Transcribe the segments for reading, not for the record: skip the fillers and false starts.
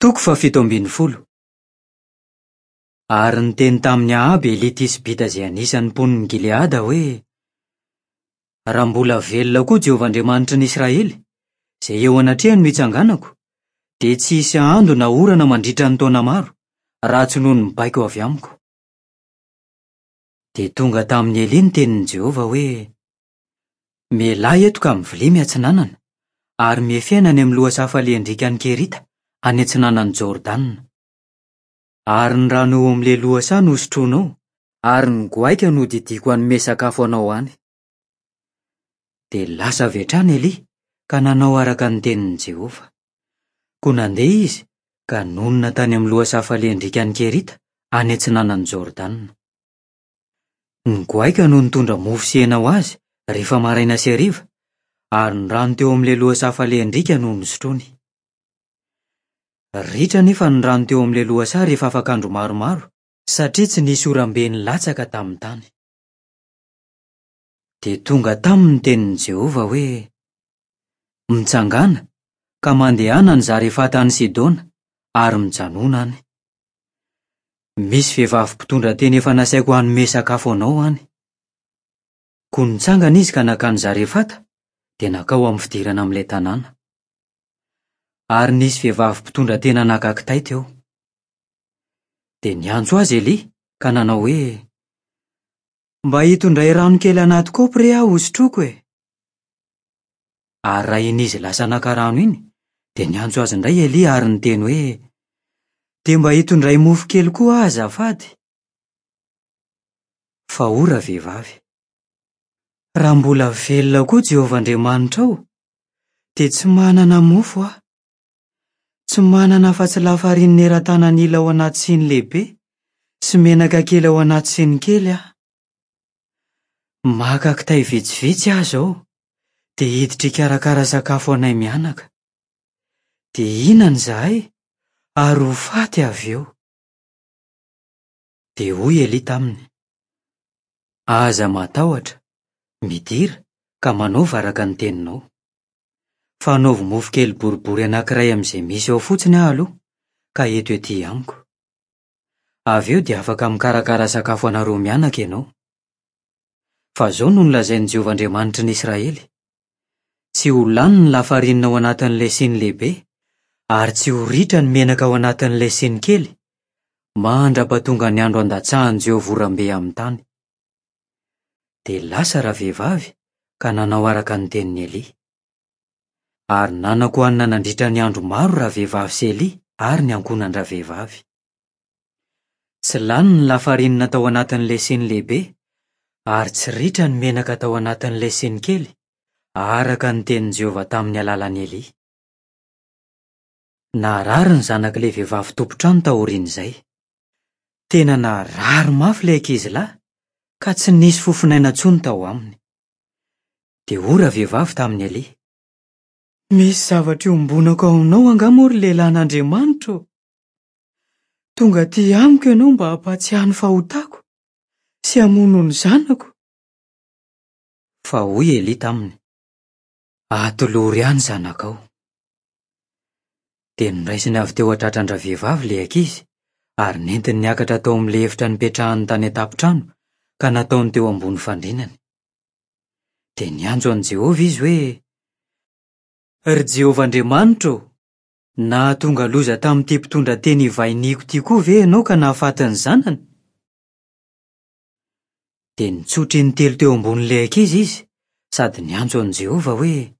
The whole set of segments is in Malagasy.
Toko fahafito ambin'ny folo. Ary niteny tamin'i Ahaba i Elia Tisbita izay anisan'ny mponin'i Gileada hoe, Raha mbola velona koa Jehovah Andriamanitry ny Israely, izay eo anatrehany no itsanganako, dia tsy hisy ando na orana mandritra ny taona maro, raha tsy noho ny baiko avy amiko. Dia tonga tamin'i Elia ny tenin'i Jehovah hoe, Mialà eto ka mivilia miatsinanana, ary miefena any amin'ny lohasaha falehan-driakan'i Kerita, any atsinanan'i Jordana. Ary ny rano eo amin'ilay lohasaha no hosotroinao, ary ny goaika no hodidiako hanome sakafo anao any. Dia lasa avy hatrany Elia ka nanao araka ny tenin'i Jehovah. Koa nandeha izy ka nonina tany amin'ny lohasaha falehan-driakan'i Kerita, any atsinanan'i Jordana. Ny goaika no nitondra mofo sy hena ho azy rehefa maraina sy hariva, ary ny rano teo amin'ilay lohasaha falehan-driaka no nosotroiny. Ritra anefa ny rano teo amin'ilay lohasaha rehefa afaka andro maromaro, satria tsy nisy oram-be nilatsaka tamin'ny tany. Dia tonga taminy ny tenin'i Jehovah hoe, Mitsangàna, ka mandehana any Zarefata any Sidona, ary mijanòna any. Misy vehivavy mpitondra tena efa nasaiko hanome sakafo anao any. Koa nitsangana izy ka nankany Zarefata, dia nankao amin'ny fidirana amin'ilay tanàna. Ary nisy vehivavy mpitondra tena naka kitay teo. Dia niantso azy Elia ka nanao hoe, Mba hitondray rano kely anaty kaopy re aho hosotroiko e! Ary raha iny izy lasa naka rano iny, dia niantso azy indray Elia ary niteny hoe, Dia mba hitondray mofo kely koa aho azafady. Fa hoy ravehivavy, Raha mbola velona koa Jehovah Andriamanitrao, dia tsy manana mofo aho. Tsy manana afa-tsy lafarinina eran-tanan'ila ao anaty siny lehibe sy menaka kely ao anaty siny kely aho. Maka kitay vitsivitsy aho izao dia hiditra hikarakara sakafo anay mianaka. Dia hihinana izahay ary ho faty avy eo. Dia hoy Elia taminy, Aza matahotra, midira ka manaova araka ny teninao. Fa anaovy mofo kely boribory anankiray amin'izay misy ao fotsiny aho aloha, ka ento ety amiko. Avy eo dia afaka mikarakara sakafo anareo mianaka ianao. Fa izao no nolazain'i Jehovah Andriamanitry ny Israely, Tsy ho lany ny lafarinina ao anatin'ilay siny lehibe, ary tsy ho ritra ny menaka ao anatin'ilay siny kely, mandra-pahatonga ny andro handatsahan'i Jehovah oram-be amin'ny tany. Dia lasa ravehivavy ka nanao araka ny tenin'i Elia. Ary nanan-kohanina nandritra ny andro maro ravehivavy sy Elia ary ny ankohonan-dravehivavy. Tsy lany ny lafarinina tao anatin'ilay siny lehibe, ary tsy ritra ny menaka tao anatin'ilay siny kely, araka ny tenin'i Jehovah tamin'ny alalan'i Elia. Narary ny zanak'ilay vehivavy tompon-trano taorian'izay. Tena narary mafy ilay ankizilahy, ka tsy nisy fofonaina intsony tao aminy. Dia hoy ravehivavy tamin'i Elia, Misy zavatra iombonako aminao angaha moa ry lehilahin'Andriamanitra ô? Tonga aty amiko ianao mba hampahatsiahy ny fahotako sy hamono ny zanako. Fa hoy Elia taminy, Atolory ahy ny zanakao. Dia noraisiny avy teo an-tratran-dravehivavy ilay ankizy ary nentiny niakatra tao amin'ilay efitra nipetrahany tany an-tampon-trano ka nataony teo ambony fandrinany. Dia niantso an'i Jehovah izy hoe, Ry Jehovah Andriamanitra ô, nahatonga loza tamin'ity mpitondra teny ivahiniako ity koa ve ianao ka nahafaty ny zanany? Dia nitsotra intelo teo ambonin'ilay ankizy izy sady niantso an'i Jehovah hoe,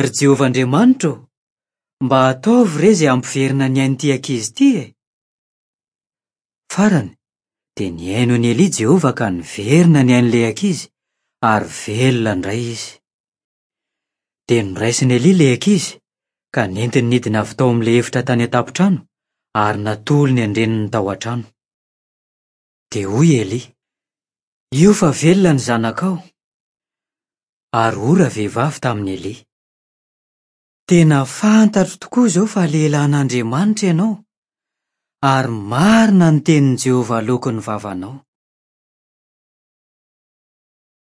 Ry Jehovah Andriamanitra ô, mba ataovy re izay hampiverina ny ain'ity ankizy ity e! Farany, dia nihaino an'i Elia Jehovah ka niverina ny ain'ilay ankizy, ary velona indray izy. Dia noraisin'i Elia ilay ankizy, ka nentiny nidina avy tao amin'ilay efitra tany an-tampon-trano, ary natolony an-dreniny tao an-trano. Dia hoy Elia, Io fa velona ny zanakao. Ary hoy ravehivavy tamin'i Elia, Tena fantatro tokoa izao fa lehilahin'Andriamanitra ianao, ary marina ny tenin'i Jehovah aloaky ny vavanao.